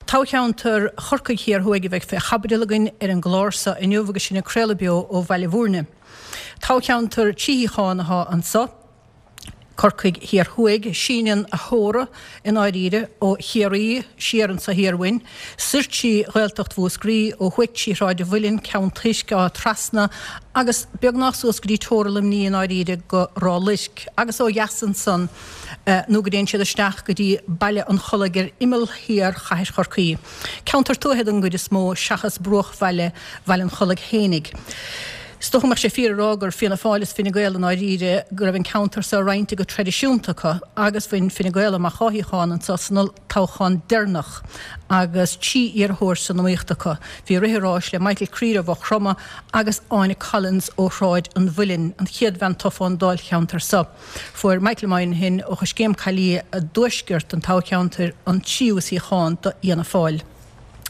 Toghcheantar Chorcaigh Thiar Thuaidh a bheidh fé chaibidil againn ar an gclár seo inniu agus sinn ag craoladh beo ó Bhaile Bhúirne. Toghcheantar trí shuíochán athá anso, Corcaigh Thiar Thuaidh. Síneann a theora i ndáiríre ó Chiarraí siar anso thiar uainn, soir trí Ghaeltacht Mhúscraí, ó thuaidh trí Shráid an Mhuilinn, Ceann Toisc, Áth Trasna agus beagnach suas go dtí teora Luimní i ndáiríre go Ráth Luirc agus ó dheas ansan nó go dtéann siad isteach go dtí Baile an Chollaigh ar imeall thiar chathair Chorcaí. Ceantar tuaithe den gcuid is mó seachas bruachbhaile Bhaile an Chollaigh fhéinig. Is dócha go mbeadh sé fíor a rá gur Fianna Fáil is Fine Gael i ndáiríre go raibh an ceantar seo roinnte go traidisiúnta acu agus bhain Fine Gael amach dhá shuíochán anso san olltoghchán deireanach agus trí iarrthóir san iomaíocht acu. Bhí ag rith an ráis le Michael Creed ó Mhaigh Chromtha agus Áine Collins ó Shráid an Mhuilinn, an chéad bhean tofa ón dáilcheantar seo. Fuair Michael Moynihan ó Choiscéim Caillí i dtuaisceart an toghcheantair an tríú suíochán do Fhianna Fáil.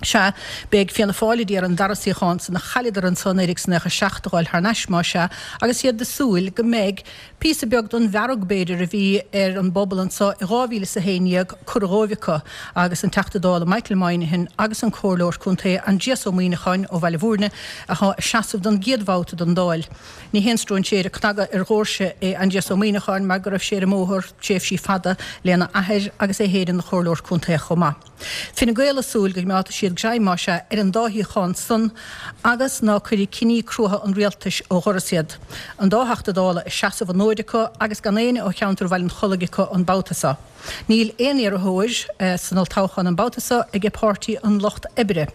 Sea, beidh Fianna Fáil a d'iarraidh an dara suíochán san a chailleadar anso 1997 a dh'fháil thar n-ais, más ea, agus iad ag súil go mbeidh píosa beag den bhfearg, b'fhéidir, a bhí ar an bpobal anso i 2011 curtha dhóibh acu agus an Teachta Dála Michael Moynihan agus an Comhairleoir Contae Aindrias Ó Muíneacháin ó Bhaile Bhúirne athá ag seasamh don gcéad bhabhta don Dáil. Ní haon stróinséir ag cnagadh ar dhoirse é Aindrias Ó Muíneacháin mar go raibh sé ar an mbóthar tréimhsí fada lena athair agus é féin ina chomhairleoir contae chomh maith. Fine Gael ag súil go gcoimeádfaidh siad greim más ea ar an dá shuíochán san agus ná cuirfidh cinní cruatha an rialtais ó dhoras iad. An dá Theachta Dála ag seasamh an fhóid acu agus gan éinne ó cheantar Bhaile an Chollaigh acu an babhta seo. Níl aon iarrthóir san olltoghchán an babhta seo aige Páirtí an Lucht Oibre.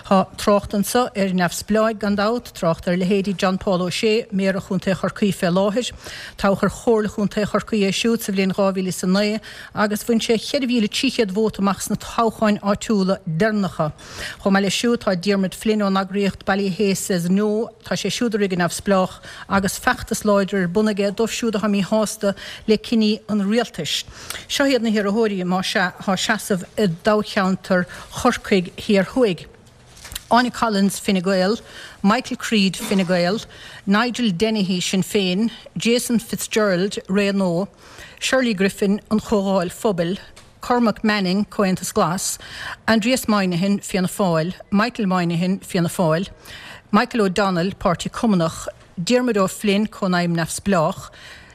Tá trácht anso ar neamhspleáigh gan dabht, trácht ar leithéidí John Paul O'Shea, Méara Chontae Chorcaí fé láthair. Toghadh ar Chomhairle Chontae Chorcaí é siúd sa bhliain 2009 agus bhain sé 4,300 vóta amach sna toghcháin áitiúla deireanacha. Chomh maith leis siúd tá Diarmuid Flynn ón eagraíocht Ballyhea Says No, tá sé siúd ag rith go neamhspleách agus feachtas láidir ar bun aige dóibh siúd atá míshásta le cinní an rialtais. Seo iad na hiarrthóirí, más ea, atá ag seasamh i dtoghcheantar Chorcaigh Thiar Thuaidh, Áine Collins, Fine Gael, Michael Creed, Fine Gael, Nigel Dennehy, Sinn Féin, Jason Fitzgerald, Ré Nua, Shirley Griffin, An Chomhdháil Phobail, Cormac Manning, Comhaontas Glas, Aindrias Moynihan, Fianna Fáil, Michael Moynihan, Fianna Fáil, Michael O'Donnell, Páirtí Cumannach, Diarmuid O'Flynn, Cónaidhm Neamhspleách,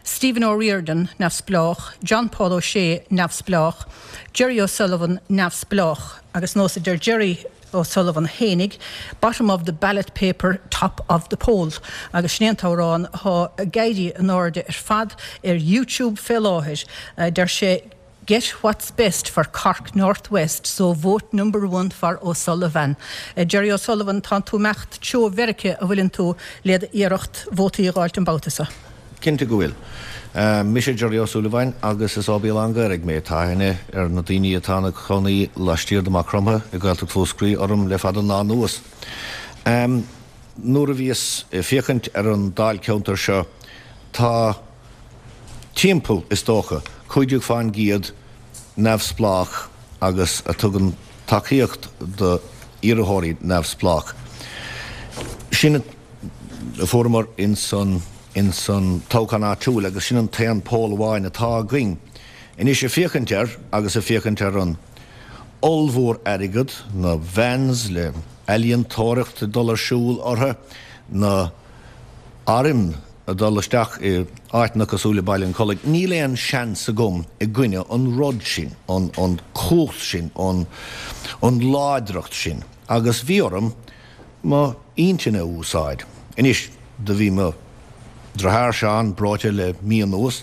Stephen O'Riordan, Neamhspleách, John Paul O'Shea, Neamhspleách, Jerry O'Sullivan, Neamhspleách, agus nós a deir Jerry O'Sullivan fhéinig, Bottom of the ballot paper, top of the poll. Agus sin é an t-amhrán atá ag éirí in airde ar fad ar YouTube fé láthair. Deir sé. Get what's best for Cork North West so vote number one for O'Sullivan. Jerry O'Sullivan, tánn tú imeacht treo Mheirice a bhfuileann tú le d'iarracht vótaí a dh'fháilt an babhta seo? Cinnte go bhfuil. Mise Jerry Ó Súilleabháin agus is ó Béal Átha an Ghaorthaidh mé. Tá aithne ar na daoine atá ina cónaí laistiar de Maigh Chromtha i Gaeltacht Mhúscraí orm le fada an lá anuas. Nuair a bhíos ag féachaint ar an dáilcheantar seo tá timpeall, is dócha, 15% neamhspleách agus a tugann tacaíocht do iarrthóirí neamhspleách. Sin a fuaireamar ins an ins an toghchán áitiúil agus sin an t-aon poll amháin atá againn. Anois ag féachaint air agus ag féachaint ar an ollmhór airgead, na vans le ealaíontóireacht ag dul ar siúl orthu, na airm ag dul isteach i áiteanna cosúil le Baile an Chollaigh, níl aon seans agam i gcoinne an rud sin, an an cumhacht sin, an an láidreacht sin. Agus bhí orm mo intinn a úsáid. Anois, do bhí mo dheartháir Seán breoite le mí anuas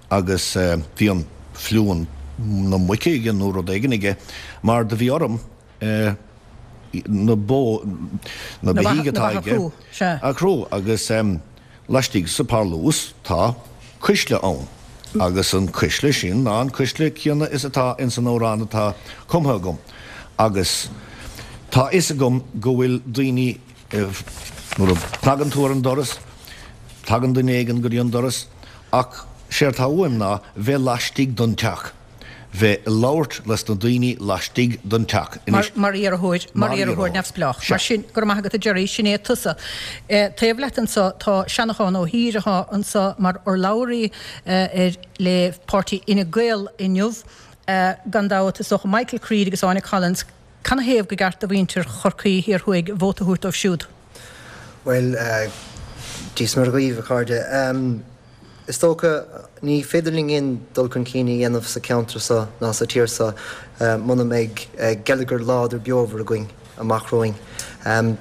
agus bhí an fliú na muice aige nó rud éigin aige mar do bhí orm na bó, na beithígh atá aige a chrú agus laistigh sa parlús tá cuisle ann agus an cuisle sin ná an cuisle céanna is atá ins an amhrán atá cumtha agam agus tá fhios agam go bhfuil daoine nuair a cnagann tú ar an doras tagann duine éigin go dtí an doras ach séard tá uaim ná bheith laistigh don teach. bheith ag labhairt leis na daoine laistigh den teach. Anois. Mar iarrthóir, mar iarrthóir neamhspleách. Mar sin, go raibh maith agat a Jerry, sin é tusa. Taobh leat anso tá Seanachán Ó hÍr atá anso mar urlabhraí ar le páirtí Fhine Gael inniu. Gan dabht, is dócha Michael Creed agus Áine Collins. Canathaobh go gceart do mhuintir Chorcaí Thiar Thuaidh vóta a thabhairt dóibh siúd? Bhuel, Dia is Muire dhaoibh, a chairde. Is dócha, ní féidir linn aon dul chun cinn a dhéanamh sa cheantar seo ná sa tír seo muna mbeidh geilleagar láidir beomhar againn amach romhainn.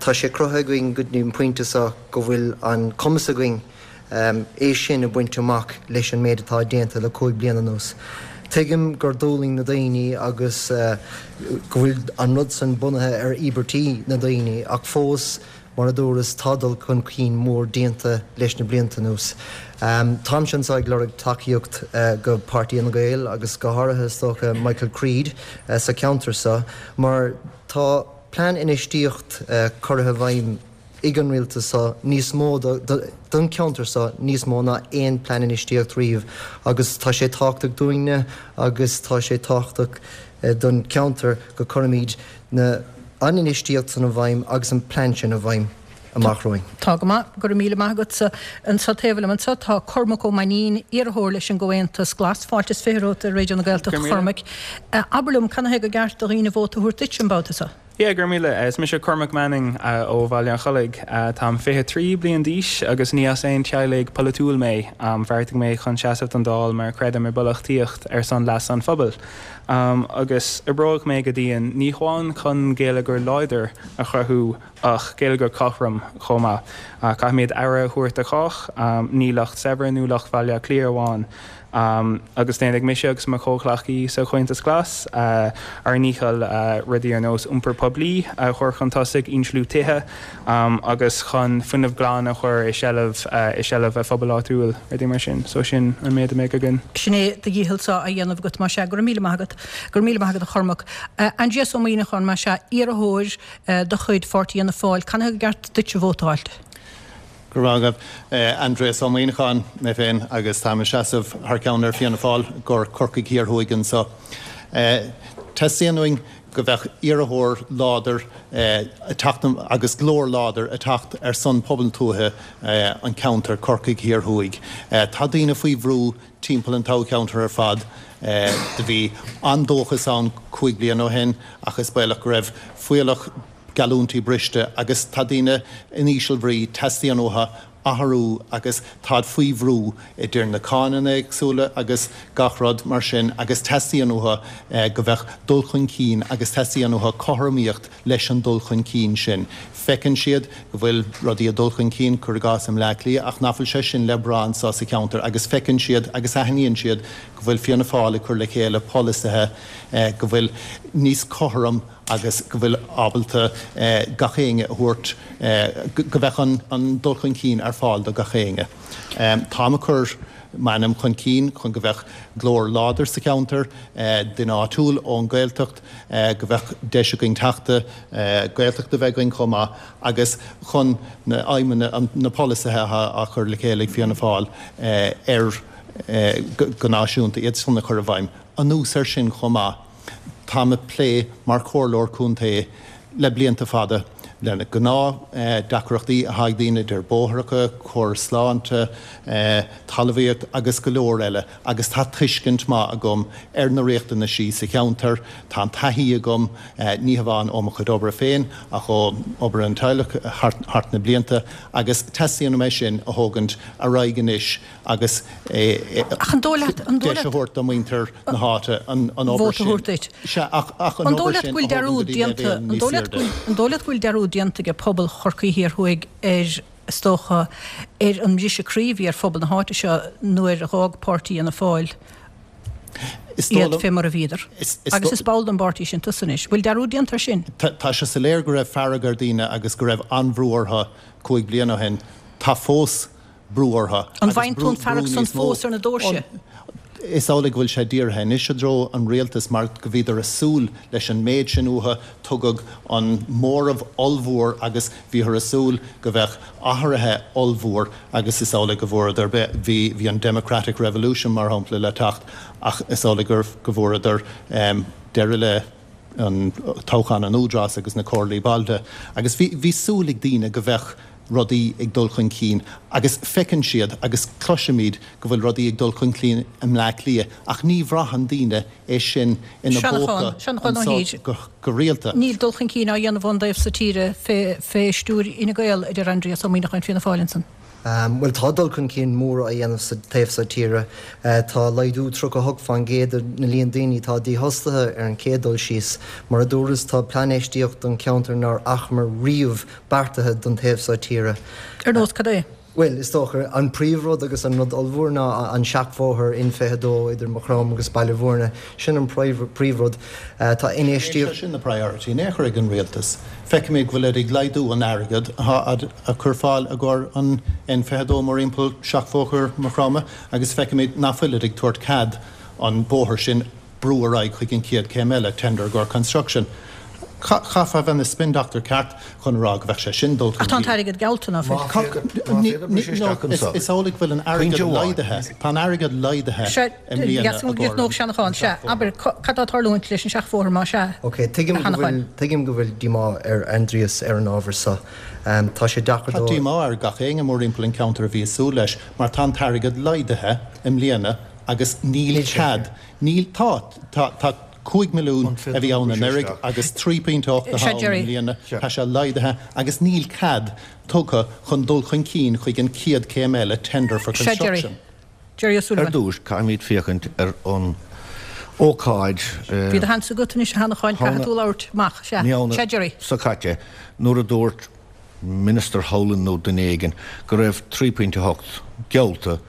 Tá sé cruthaithe againn go dtí an pointe seo go bhfuil an cumas againn é sin a bhaint amach leis an méid atá déanta le 5 bliana anuas. Tuigim gur d'fhulaing na daoine agus go bhfuil an rud san bunaithe ar íobairtí na ndaoine ach fós, mar a dúras, tá dul chun cinn mór déanta leis na blianta anuas. Táimse anseo ag lorg tacaíocht go Páirtí Fhine Gael agus go háirithe is dócha Michael Creed sa cheantar seo mar tá plean infheistíocht curtha i bhfeidhm ag an rialtas seo níos mó don cheantar seo níos mó ná aon plean infheistíocht riamh agus tá sé tábhachtach dúinne agus tá sé tábhachtach don cheantar go cuirimid na an infheistíocht san i bhfeidhm agus an plean sin i bhfeidhm amach romhainn. Tá go maith. Go raibh míle maith agatsa. Anseo taobh liom anseo tá Cormac Ó Mainnín, iarrthóir leis an gComhaontas Glas. Fáilte is 20 romhat ar Raidió na Gaeltachta, a Chormaic. Abair liom, canathaobh gur ceart do dhaoine vóta a thabhairt duit an babhta seo? Yeah, go raibh míle. Is mise Cormac Manning ó Bhaile an Chollaigh. Táim 23 bliain d'aois agus ní as aon teaghlaigh polaitiúil mé. Bheartaigh mé chun seasamh don Dáil mar creidim i bpolaitíocht ar son leas an phobail. Agus oibreoidh mé go dian, ní hamháin chun geilleagar láidir a chruthú ach geilleagar cothrom chomh maith. Caithfimid aire a thabhairt do chách, ní lucht saibhir nó lucht Bhaile Átha Cliath amháin. Agus déanfaidh mise agus mo chomhghleacaí sa Chomhaontas Glas ár ndícheall rudaí ar nós iompar poiblí a chur chun tosaigh, insliú tithe agus chun fuinneamh glan a chur i seilbh i seilbh a phobail áitiúil, rudaí mar sin. So sin an méid a mbeidh againn. Sin é do dhícheallsa á dhéanamh agat, más ea. Go raibh míle maith agat. Go raibh míle maith agat, a Chormaic. Aindrias Ó Muimhneacháin, más ea, iarrthóir de chuid Pháirtí Fhianna Fáil, canathaobh gur ceart duitse vótáil? Go raibh maith agat. Aindrias Ó Muimhneacháin mé féin agus táim ag seasamh thar ceann ar Fianna Fáil i gcomhair Corcaigh Thiar Thuaidh anseo. Teastaíonn uainn go bheadh iarrthóir láidir ag teacht agus glór láidir ag teacht ar son pobal tuaithe an cheantair, Corcaigh Thiar Thuaidh. Tá daoine faoi bhrú timpeall an toghcheantair ar fad. Do bhí an-dóchas ann 5 bliana ó shin ach is baolach go raibh fuíollach geallúintí briste agus tá daoine in íseal bhrí, teastaíonn uathu athrú agus táid faoi bhrú idir na cáineanna éagsúla agus gach rud mar sin agus teastaíonn uathu go bheadh dul chun cinn agus teastaíonn uathu cothromaíocht leis an dul chun cinn sin. Feiceann siad go bhfuil rudaí ag dul chun cinn, cuir i gcás i mBleá Cliath, ach nach bhfuil sé sin le brath anseo sa cheantar agus feiceann siad agus aithníonn siad go bhfuil Fianna Fáil ag cur le chéile polasaithe go bhfuil níos cothrom agus go bhfuil ábalta gach éinne a thabhairt, go bheadh an dul chun cinn ar fáil do gach éinne. Táim ag cur m'ainm chun cinn chun go bheadh glór láidir sa cheantar, duine áitiúil ón Gaeltacht, go bheadh deis againn teachta Gaeltachta a bheith againn chomh maith agus chun na aidhmeanna, na polasaithe atá á chur le chéile ag Fianna Fáil ar go náisiúnta, iad san a chur i bhfeidhm. Anuas air sin chomh maith, Táim ag plé mar chomhairleoir contae le blianta fada le na gnáth deacrachtaí atá ag daoine idir bóithreacha, córas sláinte, talmhaíocht agus go leor eile agus tá tuiscint maith agam ar na riachtanaisí sa cheantar. Tá an taithí agam, ní hamháin ó mo chuid oibre féin ach ó obair an teaghlach thart na blianta agus teastaíonn uaim é sin a thógaint ar aghaidh anois agus Ach an dóigh leat, an dóigh deis a leat. thabhairt do mhuintir na háite an obair vóta a sin. thabhairt duit. Sea, ach ach an An dóigh obair leat sin go bhfuil a thógaint go dearúd dtí déanta, leibhéal an níos dóigh leat airde. go bhfuil, an dóigh leat go bhfuil dearúd déanta ag pobal Chorcaí Thiar Thuaidh ar, is dócha, ar an mbriseadh croí a bhí ar phobal na háite seo nuair a dh'fhág páirtí Fhianna Fáil Is dóigh iad liom, fé mar a bhíodar? is, is Agus dó, is ball den bpáirtí sin tusa anois. Bhfuil dearúd déanta ar sin? tá, tá sé soiléir go raibh fearg ar daoine agus go raibh an-bhrú orthu 5 bliana ó shin. Tá fós brú orthu An agus bhfaigheann tú brú, an brú fearg san níos mó. fós ar na doirse? Is amhlaidh go bhfuil sé dírithe anois i dtreo an rialtais mar go bhíodar ag súil leis an méid sin uathu, tugadh an móramh ollmhór agus bhíothar ag súil go bheadh athruithe ollmhór agus is amhlaidh go bhfuaireadar, bhí, bhí an democratic revolution mar shampla le teacht ach is amhlaidh gur, go bhfuaireadar deireadh le an toghchán an Údarás agus na comhairlí bailte agus bhí, bhí súil ag daoine go bheadh. rudaí ag dul chun cinn agus feiceann siad agus cloisimid go bhfuil rudaí ag dul chun cinn i mBleá Cliath ach ní bhraitheann daoine é sin ina bpóca anso go rialta. Níl dul chun cinn á dhéanamh ón dtaobh so tíre fé stiúir Fhine Gael, a deir Aindrias Ó Muíneacháin Fianna Fáil ansan. Bhuel, tá dul chun cinn mór á dhéanamh sa taobh so tíre. Tá laghdú 38% ar na líon daoine atá dífhostaithe ar an chéad dul síos. Mar a dúras, tá plean infheistíocht don cheantar nár fhacamar riamh beartaithe don taobh so tíre. Ar nós cad é? Bhuel, is dócha, an príomhrud agus an rud ollmhór ná an seachbhóthar N22 idir Maigh Chromtha agus Baile Bhúirne. Sin an príomhrud. Tá infheistíocht. Níl sé sin ina priority in aon chor ag an rialtas. Feicimid go bhfuilid ag laghdú an airgead atá á cur ar fáil i gcomhair an N22 mórthimpeall seachbhóthar Maigh Chromtha agus feicimid nach bhfuilid ag tabhairt cead an bóthar sin brú ar aghaidh chuig an chéad chéim eile, tender i gcomhair construction. Chaithfeá a bheith ina spin doctor ceart chun a rá go bheadh sé sin dul chun cinn. Ach tá an t-airgead geallta, ná fuil? Má féadar briseadh isteach anso. Is amhlaidh go bhfuil an airgead laghdaithe. Tá an airgead laghdaithe i mbliana i gcomhair an Sea, abair, cad tá ag tarlúint leis an seachbhóthar más ea, Ok, tuigim go bhfuil, tuigim go bhfuil díomá ar Aindrias ar an ábhar so. Tá sé deacair dó. Tá díomá ar gach éinne mórthimpeall an ceantar a bhí ag súil leis mar tá an t-airgead laghdaithe i mbliana agus níl cead, níl, tá, tá, tá 5 milliún a bhí ann anuraidh agus 3.8 atá ann i mbliana, tá sé laghdaithe agus níl cead tugtha chun dul chun cinn chuig an chéad chéim eile, tender for construction. Ar dtús, caithfimid féachaint ar an ócáid. Bhí do sheans agat anois a Sheanacháin, caithfidh tú labhairt amach. Sea, sea Gerry. seo caite, nuair a dúirt Minister Howlin nó duine éigin go raibh 3.8 geallta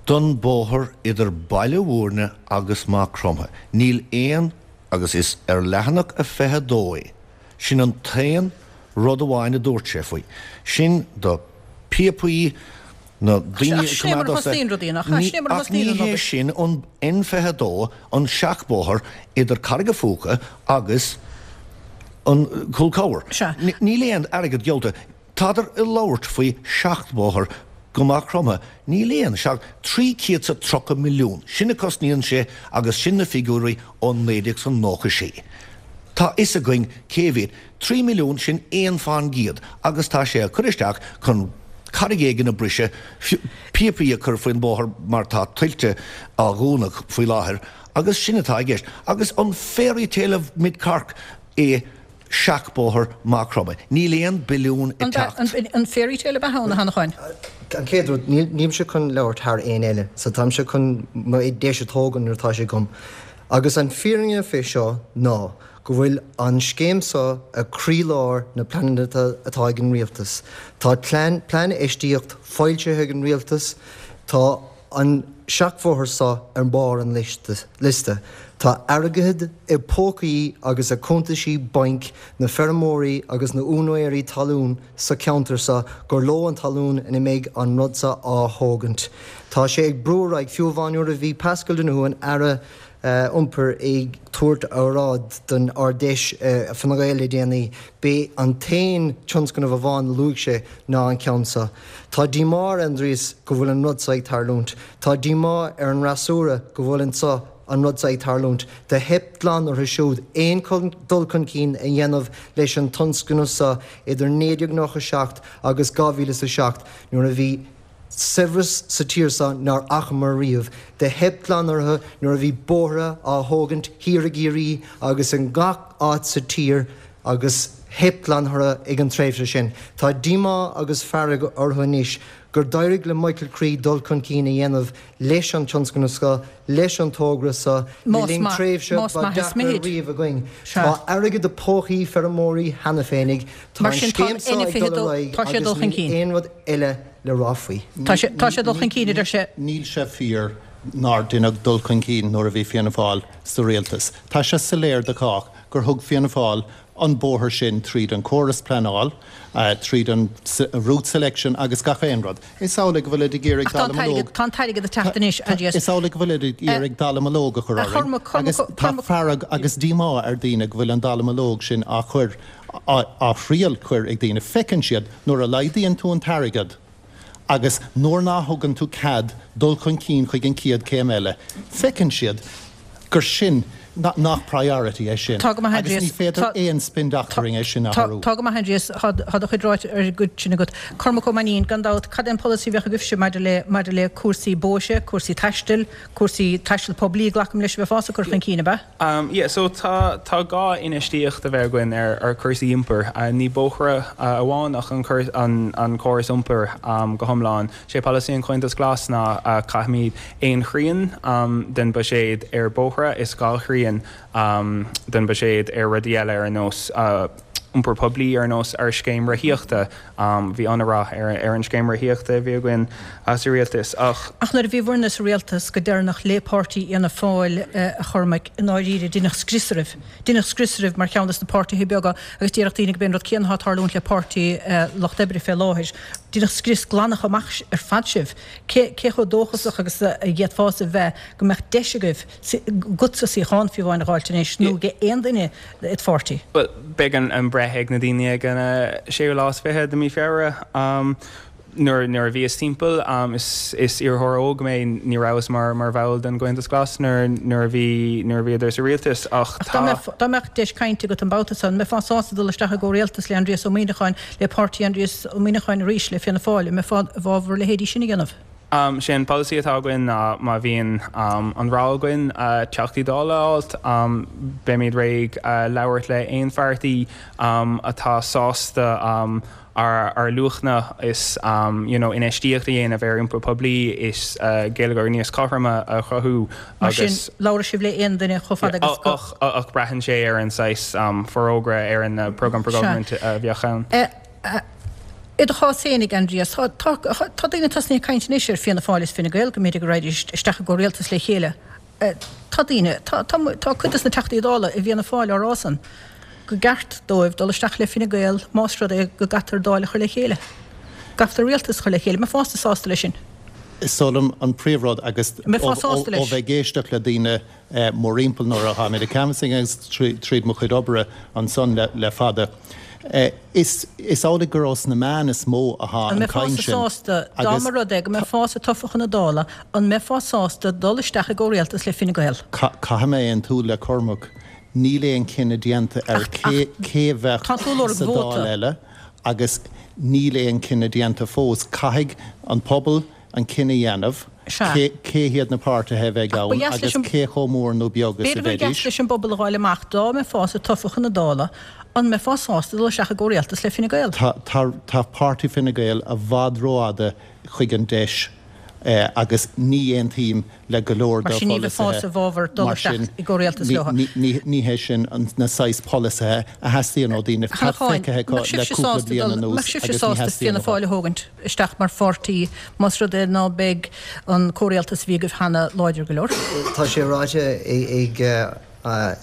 don bóthar idir Baile Bhúirne agus Maigh Chromtha. Níl aon, agus is ar leathanach a 22 é, sin an t-aon rud amháin a dúirt sé faoi. Sin do píopaí na daoine a coimeád os a. Ach ní hé sin an N22, an seachbhóthar idir Carraig a' Phúca agus an Cúl Cabhair. Níl aon airgead geallta. Tádar ag labhairt faoi sheachbhóthar go Maigh Chromtha. Níl aon seach, 330 milliún, sin a cosnaíonn sé agus sin na figiúirí ó 1996. Tá fhios againn cé mhéad, 3 milliún, sin 1 fán gcéad agus tá sé á cur isteach chun carraig éigin a briseadh, píopaí a chur faoin bóthar mar tá tuilte á dhúnadh faoi láthair agus sin atá i gceist. Agus an fairy tale of Mid Cork é seachbhóthar Maigh Chromtha. Níl aon billiún ag teacht. An fairy tale ab ea ann, a Sheanacháin? An chéad rud, nílimse chun labhairt thar éinne eile, so táimse chun mo deis a thógaint nuair atá sé agam. Agus an fírinne fé seo ná go bhfuil an scéim seo ag croílár na pleananna atá ag an rialtas. Tá plean infheistíocht foilsithe ag an rialtas, tá an seachbhóthar seo ar bharr an liosta. Tá airgead i bpócaí agus i cuntaisí bainc na feirmeoirí agus na úinéirí talún sa cheantar seo gur leo an talún ina mbeidh an rud seo á thógaint. Tá sé ag brú ar aghaidh, fiú amháin nuair a bhí Paschal Donohoe, an Aire Iompair, ag tabhairt óráid don Ard-Fheis Fine Gael le déanaí, b'é an t-aon tionscnamh amháin a luaigh sé ná an ceann seo. Tá díomá ar Aindrias go bhfuil an rud seo ag tarlúint. Tá díomá ar an fhreasúra go bhfuil an seo an rud seo ag tarlúint. Do theip glan orthu siúd aon dul chun cinn a dhéanamh leis an tionscnamh seo idir 1997 agus 2007 nuair a bhí saibhreas sa tír seo nár fhacamar riamh. Do theip glan orthu nuair a bhí bóithre á thógaint thiar i gCiarraí agus in gach áit sa tír agus theip glan orthu ag an tréimhse sin. Tá díomá agus fearg orthu anois gur d'éirigh le Michael Creed dul chun cinn a dhéanamh leis an tionscnamh seo, leis an togra seo, le linn tréimhse ba deacra riamh againn. Tá airgead i bpócaí feirmeoirí cheana féinig, tá an scéim seo ag dul ar aghaidh agus níl aon rud eile le rá faoi. Tá sé ag dul chun cinn, a deir sé. Níl sé fíor nár deineadh dul chun cinn nuair a bhí Fianna Fáil sa rialtas. Tá sé soiléir do chách gur thug Fianna Fáil an bóthar sin tríd an córas pleanáil, tríd an route selection agus gach aon rud. Is amhlaidh go bhfuilid ag iarraidh dallamullóg. Tá an t-airgead ag teacht anois, Aindrias. Is amhlaidh go bhfuilid ag iarraidh dallamullóg a chur orainn agus tá fearg agus díomá ar daoine go bhfuil an dallamullóg sin á chur, á thriail cur ag daoine. Feiceann siad nuair a laghdaíonn tú an t-airgead agus nuair ná thugann tú cead dul chun cinn chuig an chéad céim eile, feiceann siad gur sin. Nach priority é sin? Tá go maith, Agus ní Aindrias. féidir Tá, aon spin doctoring é sin a tá, athrú. tá go maith, Aindrias. Tá, tá do chuid ráite ar an gcuid sin agat. Cormac Ó Mainnín, gan dabht, cad é an polasaí a bheadh agaibhse maidir le, maidir le cúrsaí bóithre, cúrsaí taistil, cúrsaí taistil poiblí, glacaim leis, a bheifeása ag cur chun cinn, ab ea? Yeah, so tá, tá gá infheistíocht a bheith againn ar, ar cúrsaí iompair. Ní bóithre amháin ach an, an, an córas iompair go hiomlán. Sé polasaí an Chomhaontais Ghlais ná caithfimid aon thrian den buiséad ar bóithre is 2 thrian den buiséad ar rudaí eile ar nós iompar poiblí ar nós ár scéim rothaíochta. Bhí an-rath ar an scéim rothaíochta a bhí againn sa rialtas ach. Ach nuair a bhí bhur-ne sa rialtas go deireanach le páirtí Fhianna Fáil, a Chormaic, i ndáiríre deineadh scrios oraibh. Deineadh scrios oraibh mar cheann des na páirtithe beaga agus déarfadh daoine gurb é an rud céanna atá ag tarlúint le Páirtí Lucht Oibre fé láthair. Deineadh scrios glanach amach ar fad sibh. Cé cé chomh dóchasach agus a d'fhéadfása bheith go mbeadh deis agaibh, agatsa suíochán fiú amháin a dh'fháilt anois nó ag aon duine id pháirtí? Bhuel, beidh an breith ag na daoine ag an séú lá is 20 de mí Feabhra. Nuair nuair a bhíos timpeall, is is iarrthóir óg mé, ní rabhas mar mar bhall den gComhaontas Glas nuair nuair a bhí nuair a bhíodar sa rialtas ach Ach dá tá. mbeadh dá mbeadh deis cainte agat an babhta san, an mbeifeá sásta dul isteach i gcomhrialtas le Aindrias Ó Muimhneacháin, le páirtí Aindrias Ó Muimhneacháin arís, le Fianna Fáil, an mbeifeá i bhfabhar a leithéidí sin a dhéanamh? Sé an polasaí atá againn ná má bhíonn an rogha againn Teachtaí Dála a fháilt, beimid réidh labhairt le aon pháirtí atá sásta ár luachanna is you know infheistíocht a dhéanamh ar iompar poiblí is geilleagar níos cothroime a chruthú Mar sin, agus. labhróidh sibh le aon duine chomh fada agus go. Ach ach braitheann sé ar an saghas forógra ar an Programme for Government a bheadh ann. I do chás féinig, Aindrias, tá tá tá daoine tosnaithe ag caint anois ar Fianna Fáil is Fine Gael go mb'fhéidir go raghaidís isteach i gcomhrialtas le chéile. Tá daoine, tá, tá, tá cuid dos na Teachtaí Dála i bhFianna Fáil á rá san go gceart dóibh dul isteach le Fine Gael más rud é go gcaitear Dáil a chur le chéile. gcaithfear rialtas a chur le chéile. An mbeifeása sásta leis sin? Is dóigh liom an príomhrud agus An mbeifeá ó sásta leis? bheith ag éisteacht le daoine mórthimpeall nuair a tháimid ag canvassing agus tríd mo chuid oibre ansan le fada, Is amhlaidh gur ós na meáin is mó athá An an mbeifeása caint sin sásta, dá agus. mba rud é go mbeifeása tofa chun na Dála, an mbeifeá sásta dul isteach i gcomhrialtas le Fine Gael? Caithfidh mé aontú le Cormac, níl aon chinneadh déanta ar Ach, ach, cé a bheadh tá tú ag lorg sa Dáil vóta. eile agus níl aon chinneadh déanta fós. Caithfidh an pobal an cinneadh a dhéanamh Sea. cé hiad na páirtithe a bheidh Ach ba ann dheas leis agus an, cé chomh mór nó beag is a b'fhéidir gur dheas bheidís. leis an bpobal a dh'fháil amach dá mbeifeása tofa chun na Dála, an mbeifeá sásta dul isteach i gcomhrialtas le Fine Gael? Tá, tá, tá páirtí Fine Gael i bhfad rófhada chuig an deis agus ní aontaím le go leor Mar dá sin ní bheifeása pholasaithe. i bhfabhar dul Mar isteach sin i gcomhrialtas ní, leo. ní, ní, ní hé sin an, na saghas polasaithe a theastaíonn ó daoine. A Tá Cheallacháin, feicthe acu mbeadh le sibhse cúpla sásta bliain dul, anuas mbeadh sibhse agus ní sásta theastaíonn Fianna uathu. Fáil a thógaint? isteach mar pháirtí más rud é ná beidh an comhrialtas a bhí agaibh cheana láidir go leor. Tá sé ráite ag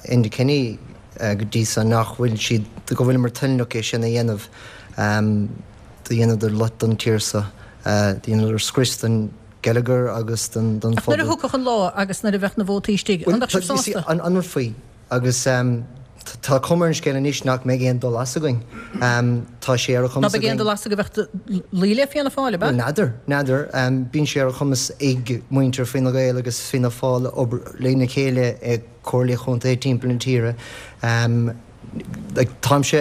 Enda Kenny go dtí so nach bhfuil siad, go bhfuileamar toilteanach é sin a dhéanamh. Do dheineadar loit don tír so, do dheineadar scrios don gheilleagar agus don Ach nuair a phobal. thiocfadh an lá agus nuair a bheadh na vótaí istigh, an mbeadh sibh sásta? An rud faoi, Agus tá cuma ar an scéal anois nach mbeidh aon dul as againn. Tá sé ar a Ná chumas beidh aon againn. dul as agaibh ach luí le Fianna Fáil, ab ea? Bhuel, n'fheadar, n'fheadar. Bíonn sé ar a chumas ag muintir Fine Gael agus Fianna Fáil obair lena chéile i comhairlí chontae timpeall na tíre. Táimse,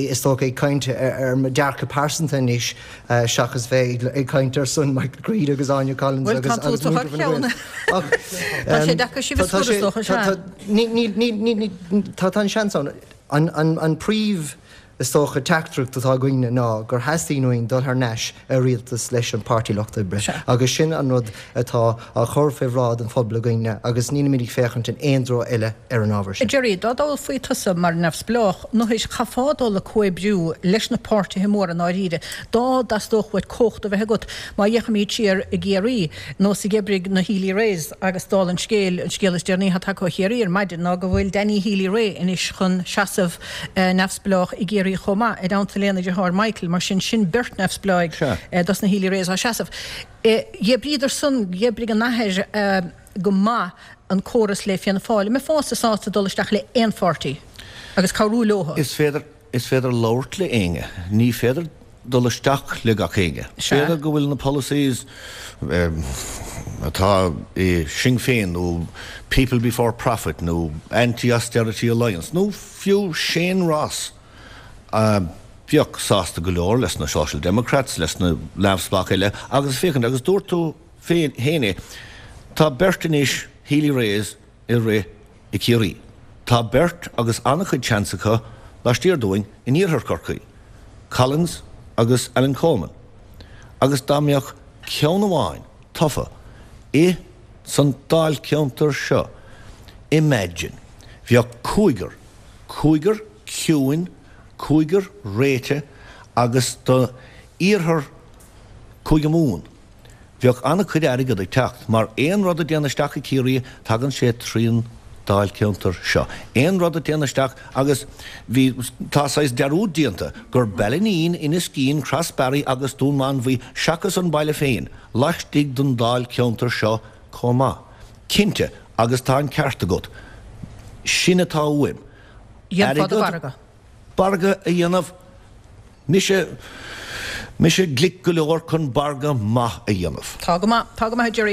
is dócha, ag caint ar mo dhearcadh pearsanta anois seachas bheith ag caint ar son Michael Creed agus Áine Collins Bhuel, agus tá tú agus thar muintir Fine Gael. cheann. Ach Tá sé deacair sibh a tá scoradh, is sé, dócha, tá, sea. tá, ní, ní, ní, ní, ní, tá, tá an seans ann. An, an, an príomh, is dócha, teachtaireacht atá againne ná gur theastaíonn uainn dul thar n-ais ar rialtas leis an Páirtí Lucht Oibre Sea. agus sin an rud atá á chur fé bhráid an phobail againne agus nílimid ag féachaint in aon treo eile ar an ábhar sin. Gerry, dá dtoghfaí tusa mar neamhspleách, nó chaithfeá dul ag comhoibriú leis na páirtithe móra i ndáiríre, dá dteastódh uait cumhacht a bheith agat. Má fhéachaimid siar i gCiarraí, nós a dh'oibrigh na Healy-Raes agus dála an scéil, an scéal is deireanaí atá tagtha ó Chiarraí ar maidin ná go bhfuil Danny Healy-Rae anois chun seasamh neamhspleách i gCiarraí chomh maith, i dteannta lena dheartháir Michael, mar sin, sin beirt neamhspleáigh dos na Healy-Raes á seasamh. Dh'oibríodar san, dh'oibrigh an athair go maith an córas le Fianna Fáil. An mbeifeása sásta dul isteach le aon pháirtí agus cabhrú leo? Is féidir, is féidir labhairt le éinne. Ní féidir dul isteach le gach éinne. Sea. B'fhéidir go bhfuil na policies. atá i Sinn Féin nó People Before Profit nó Anti-Austerity Alliance nó fiú Shane Ross a bheadh sásta go leor leis na Social Democrats, leis na neamhspleách eile agus féachaint, agus dúirt tú féin é, tá beirt anois, Healy-Raes ag rith i Ciarraí. Tá beirt agus an-chuid seans acu laistiar dúinn in iarthar Chorcaí, Collins agus Alan Coleman. Agus dá mbeadh ceann amháin tofa i san dáilcheantar seo, imagine, bheadh cúigear, cúigear ciúin, cúigear réitithe agus do iarthar Cúige Mumhan. Bheadh an-chuid airgead ag teacht, mar aon rud a dtéann isteach i Ciarraí, tagann sé trín dáilcheantar seo. Aon rud a dtéann isteach, agus bhí, tá saghas dearúd déanta, gur Ballineen, Inniskeen, Crossbarry agus Dún Mánmhaí, seachas an baile féin, laistigh den dáilcheantar seo chomh maith. Cinnte, agus tá an ceart agat, sin atá uaim. Dhéanfá do mhargadh. Margadh a dhéanamh. Mise, mise glic go leor chun margadh maith a dhéanamh. Tá go maith, tá go maith a Gerry.